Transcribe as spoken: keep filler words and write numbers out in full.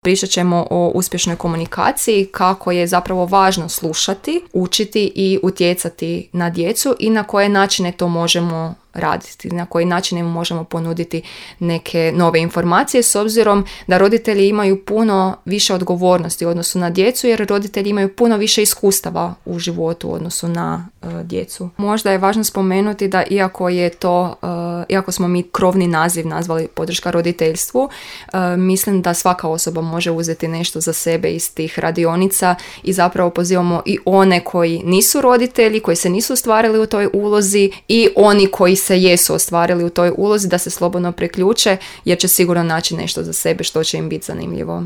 Pričat ćemo o uspješnoj komunikaciji, kako je zapravo važno slušati, učiti i utjecati na djecu i na koje načine to možemo raditi, na koji način im možemo ponuditi neke nove informacije, s obzirom da roditelji imaju puno više odgovornosti u odnosu na djecu, jer roditelji imaju puno više iskustava u životu u odnosu na uh, djecu. Možda je važno spomenuti da iako je to, uh, iako smo mi krovni naziv nazvali podrška roditeljstvu, uh, mislim da svaka osoba može uzeti nešto za sebe iz tih radionica i zapravo pozivamo i one koji nisu roditelji, koji se nisu ostvarili u toj ulozi i oni koji se jesu ostvarili u toj ulozi da se slobodno priključe, jer će sigurno naći nešto za sebe što će im biti zanimljivo.